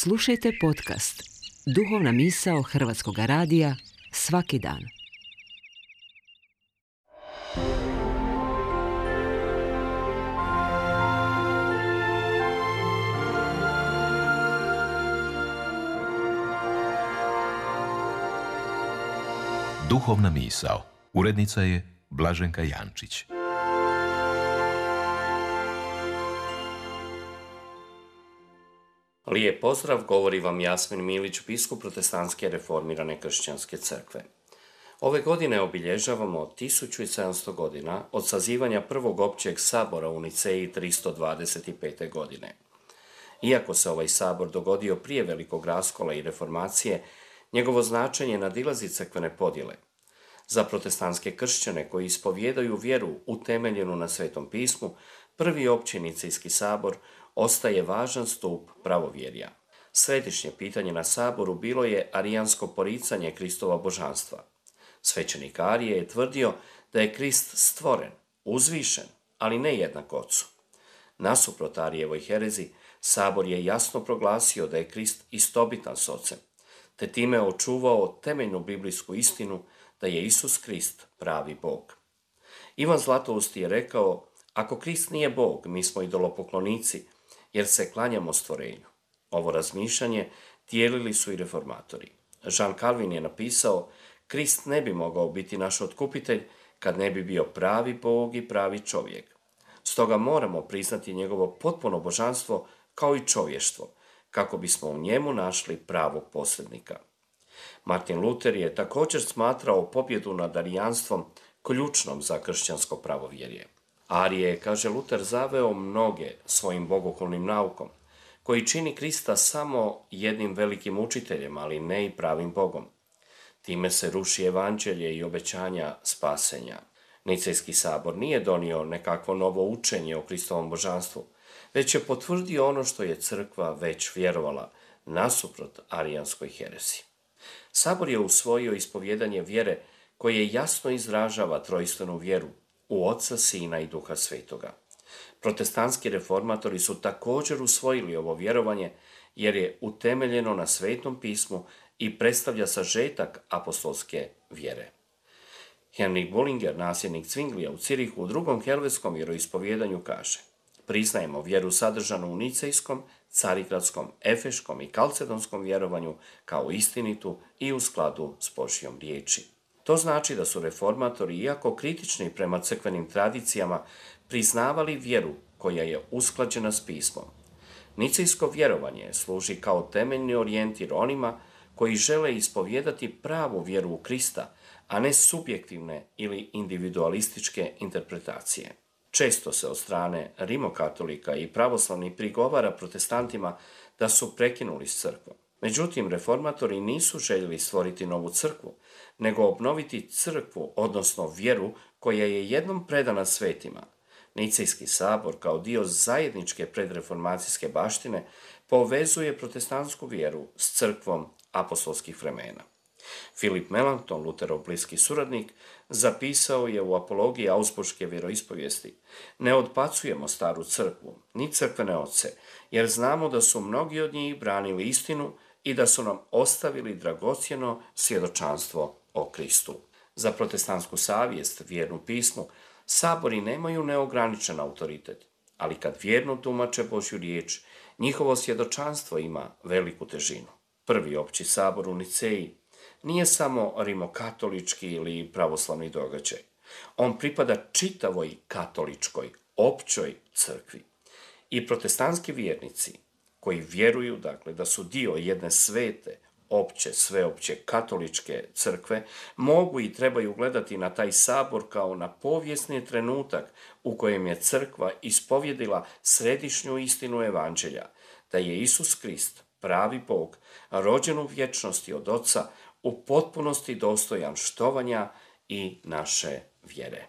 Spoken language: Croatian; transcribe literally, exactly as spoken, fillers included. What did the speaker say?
Slušajte podcast Duhovna misao Hrvatskog radija svaki dan. Duhovna misao. Urednica je Blaženka Jančić. Lijep pozdrav, govori vam Jasmin Milić, biskup Protestantske reformirane kršćanske crkve. Ove godine obilježavamo tisuću sedamsto godina od sazivanja prvog općeg sabora u Niceji tristo dvadeset pete. godine. Iako se ovaj sabor dogodio prije velikog raskola i reformacije, njegovo značenje nadilazi crkvene podjele. Za protestantske kršćane koji ispovijedaju vjeru utemeljenu na Svetom pismu, prvi opći Nicejski sabor ostaje važan stup pravovjerja. Središnje pitanje na saboru bilo je arijansko poricanje Kristova božanstva. Svećenik Arije je tvrdio da je Krist stvoren, uzvišen, ali ne jednak Ocu. Nasuprot Arijevoj herezi, sabor je jasno proglasio da je Krist istobitan s Ocem, te time očuvao temeljnu biblijsku istinu da je Isus Krist pravi Bog. Ivan Zlatousti je rekao: ako Krist nije Bog, mi smo idolopoklonici, jer se klanjamo stvorenju. Ovo razmišljanje dijelili su i reformatori. Jean Calvin je napisao: Krist ne bi mogao biti naš otkupitelj kad ne bi bio pravi Bog i pravi čovjek. Stoga moramo priznati njegovo potpuno božanstvo kao i čovještvo, kako bismo u njemu našli pravog posrednika. Martin Luther je također smatrao pobjedu nad arijanstvom ključnom za kršćansko pravovjerje. Arije je, kaže Luter, zaveo mnoge svojim bogohulnim naukom, koji čini Krista samo jednim velikim učiteljem, ali ne i pravim Bogom. Time se ruši evanđelje i obećanja spasenja. Nicejski sabor nije donio nekakvo novo učenje o Kristovom božanstvu, već je potvrdio ono što je crkva već vjerovala, nasuprot arijanskoj herezi. Sabor je usvojio ispovjedanje vjere koje jasno izražava trojstvenu vjeru u Oca, Sina i Duha Svetoga. Protestantski reformatori su također usvojili ovo vjerovanje jer je utemeljeno na Svetom pismu i predstavlja sažetak apostolske vjere. Henrik Bullinger, nasljednik Zwinglija u Cirihu, u drugom helvetskom vjeroispovjedanju kaže: priznajemo vjeru sadržanu u nicejskom, carigradskom, efeškom i kalcedonskom vjerovanju kao istinitu i u skladu s Božjom riječi. To znači da su reformatori, iako kritični prema crkvenim tradicijama, priznavali vjeru koja je usklađena s pismom. Nicejsko vjerovanje služi kao temeljni orijentir onima koji žele ispovijedati pravu vjeru u Krista, a ne subjektivne ili individualističke interpretacije. Često se od strane rimokatolika i pravoslavnih prigovara protestantima da su prekinuli s crkvom. Međutim, reformatori nisu željeli stvoriti novu crkvu, nego obnoviti crkvu, odnosno vjeru koja je jednom predana svetima. Nicejski sabor kao dio zajedničke predreformacijske baštine povezuje protestantsku vjeru s crkvom apostolskih vremena. Philip Melanchthon, Luterov bliski suradnik, zapisao je u apologiji Augsburške vjeroispovijesti: ne odbacujemo staru crkvu, ni crkvene oce, jer znamo da su mnogi od njih branili istinu i da su nam ostavili dragocjeno svjedočanstvo o Kristu. Za protestantsku savjest, vjernu pismu, sabori nemaju neograničen autoritet, ali kad vjerno tumače Božju riječ, njihovo svjedočanstvo ima veliku težinu. Prvi opći sabor u Niceji nije samo rimokatolički ili pravoslavni događaj. On pripada čitavoj katoličkoj, općoj crkvi. I protestantski vjernici koji vjeruju, dakle, da su dio jedne svete, opće, sveopće katoličke crkve, mogu i trebaju gledati na taj sabor kao na povijesni trenutak u kojem je crkva ispovjedila središnju istinu evanđelja, da je Isus Krist, pravi Bog, rođen u vječnosti od Oca, u potpunosti dostojan štovanja i naše vjere.